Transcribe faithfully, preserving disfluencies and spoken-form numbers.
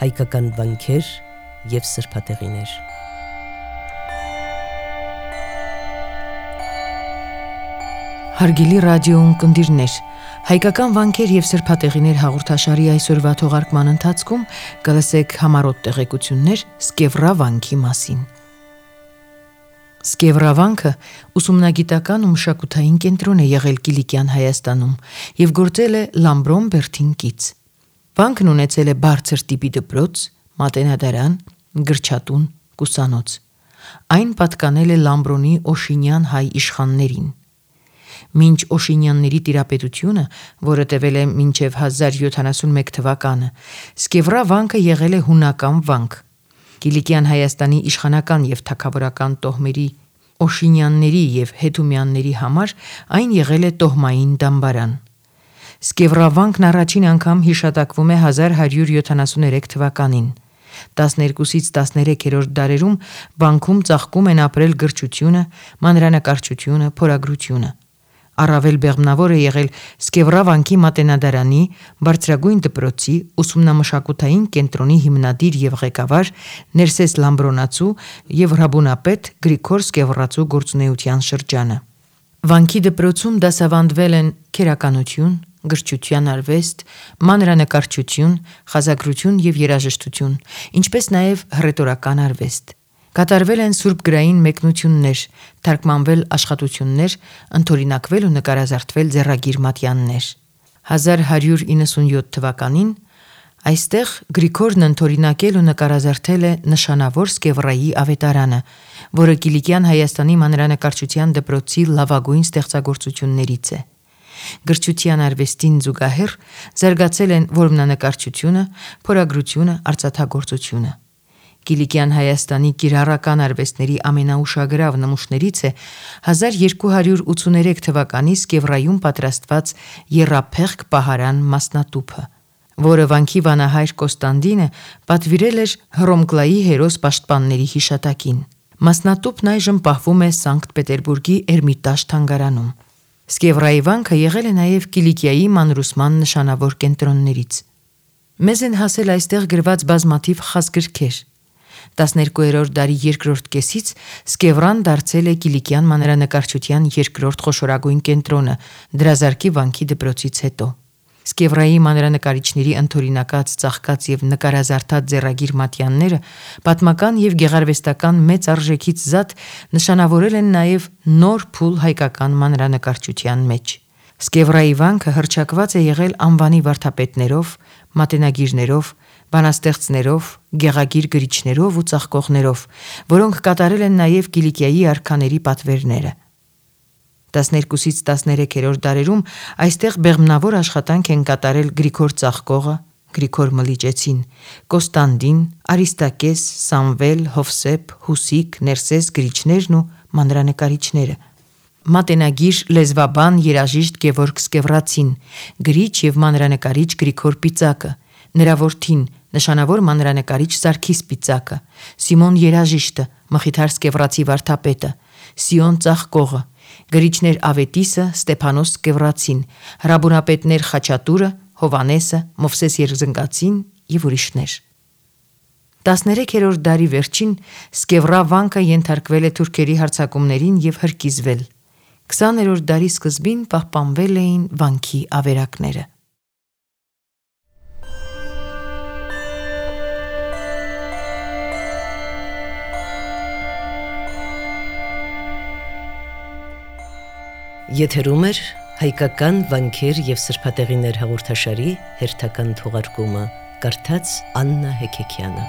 հայկական վանքեր և սրբատեղիներ։ Հարգելի ռադիո ունկնդիրներ, հայկական վանքեր և սրբատեղիներ հաղորդաշարի այսօրվա թողարկման ընթացքում կլսեք համառոտ տեղեկություններ Սկևռա վանքի մասին։ Սկևռա վանքը ուսումնագիտական ու մշակութային կենտրոն է եղել Կիլիկյան Հայաստանում և գործել է Լամբրոն բերդին կից։ Վանքն ունեցել է բարձր տիպի դպրոց, մատենադարան, գրչատուն, կուսանոց։ Այն պատկանել է Լամբրոնի Օշինյան հայ իշխաններին։ Մինչ Օշինյանների տիրապետությունը, որը տևել է մինչև հազար յոթանասունմեկ թվականը, Սկևռա վանքը եղել է հունական վանք։ Կիլիկյան Հայաստանի իշխանական և թագավորական տոհմերի Օշինյանների և Հետումյանների համար այն եղել է տոհմային դամբարան։ Սկևռա վանքն առաջին անգամ հիշատակվում է հազար հարյուր յոթանասուներեք թվականին։ տասներկուսից տասներեքերորդ դարերում վանքում ծաղկում են ապրել գրչությունը, մանրանկարչությունը, փորագրությունը։ Առավել բեղմնավոր է եղել Սկևռա վանքի մատենադարանի, բարձրագույն դպրոցի, ուսումնամշակութային կենտրոնի հիմնադիր և ղեկավար Ներսես Լամբրոնացու և հրաբունապետ Գրիգոր Սկևռացու գործունեության շրջանը։ Վանքի դպրոցում դասավանդվել են քերականություն, գրչության արվեստ, մանրանկարչություն, խազագրություն և երաժշտություն, ինչպես նաև հռետորական արվեստ։ Կատարվել են սուրբգրային մեկնություններ, թարգմանվել աշխատություններ, ընդօրինակվել ու նկարազարդվել ձեռագիր մատյաններ։ հազար հարյուր իննսունյոթ թվականին այստեղ Գրիգորն ընդօրինակել ու նկարազարդել է նշանավոր Սկևռայի ավետարանը, որը Կիլիկյան Հայաստանի մանրանկարչության դպրոցի լավագույն ստեղծագործություններից է։ Գրչության արվեստին զուգահեռ զարգացել են որմնանկարչությունը, փորագրությունը, արծաթագործությունը։ Կիլիկյան Հայաստանի կիրառական արվեստների ամենաուշագրավ նմուշներից է հազար երկու հարյուր ութսուներեք թվականի Սկևռայում պատրաստված եռափեղկ պահարան մասնատուփը, որը վանքի վանահայր Կոստանդինը պատվիրել էր Հռոմկլայի հերոս պաշտպանների հիշատակին։ Մասնատուփն այժմ պահվում է Սանկտ Պետերբուրգի Էրմիտաժ թանգարանում։ Սկևռայի վանքը եղել է նաև Կիլիկիայի մանրուսման նշանավոր կենտրոններից։ Մեզ են հասել այստեղ գրված բազմաթիվ խազգրքեր։ տասներկուերորդ դարի երկրորդ կեսից Սկևռան դարձել է Կիլիկյան մանրանկարչության երկրորդ խոշորագույն կենտրոնը Դրազարկի վանքի դպրոցից հետո։ Սկևռայի մանրանկարիչների ընդօրինակած, ծաղկած և նկարազարդած ձեռագիր մատյանները պատմական և գեղարվեստական մեծ արժեքից զատ նշանավորել են նաև նոր փուլ հայկական մանրանկարչության մեջ։ Սկևռայի վանքը հռչակված է եղել անվանի վարդապետներով, մատենագիրներով, բանաստեղծներով, գեղագիր գրիչներով ու ծաղկողներով, որոնք կատարել են նաև Կիլիկիայի արքաների պատվերները։ տասներկուսից տասներեքերորդ դարերում այստեղ բեղմնավոր աշխատանք են կատարել Գրիգոր Ծաղկողը, Գրիգոր Մլիճեցին, Կոստանդին, Արիստակես, Սամվել, Հովսեփ, Հուսիկ, Ներսես գրիչներն ու մանրանկարիչները, մատենագիր, լեզվաբան, երաժիշտ Գևորգ Սկևռացին, գրիչ և մանրանկարիչ Գրիգոր Պիծակը, նրա որդին, նշանավոր մանրանկարիչ Սարգիս Պիծակը, Սիմոն երաժիշտը, Մխիթար Սկևռացի վարդապետը, Սիոն Ծաղկողը, գրիչներ Ավետիսը, Ստեփանոս Սկևռացին, հրաբունապետներ Խաչատուրը, Հովանեսը, Մովսես Երզնգացին և ուրիշներ։ տասներեքերորդ դարի վերջին Սկևռա վանքը ենթարկվել է թուրքերի հարձակումներին և հրկիզվել։ քսաներորդ դարի սկզբին պահպանվել էին վանքի ավերակները։ Եթերում է հայկական վանքեր և սրբատեղիներ հաղորդաշարի հերթական թողարկումը, կարդաց Աննա Հեքեքյանը։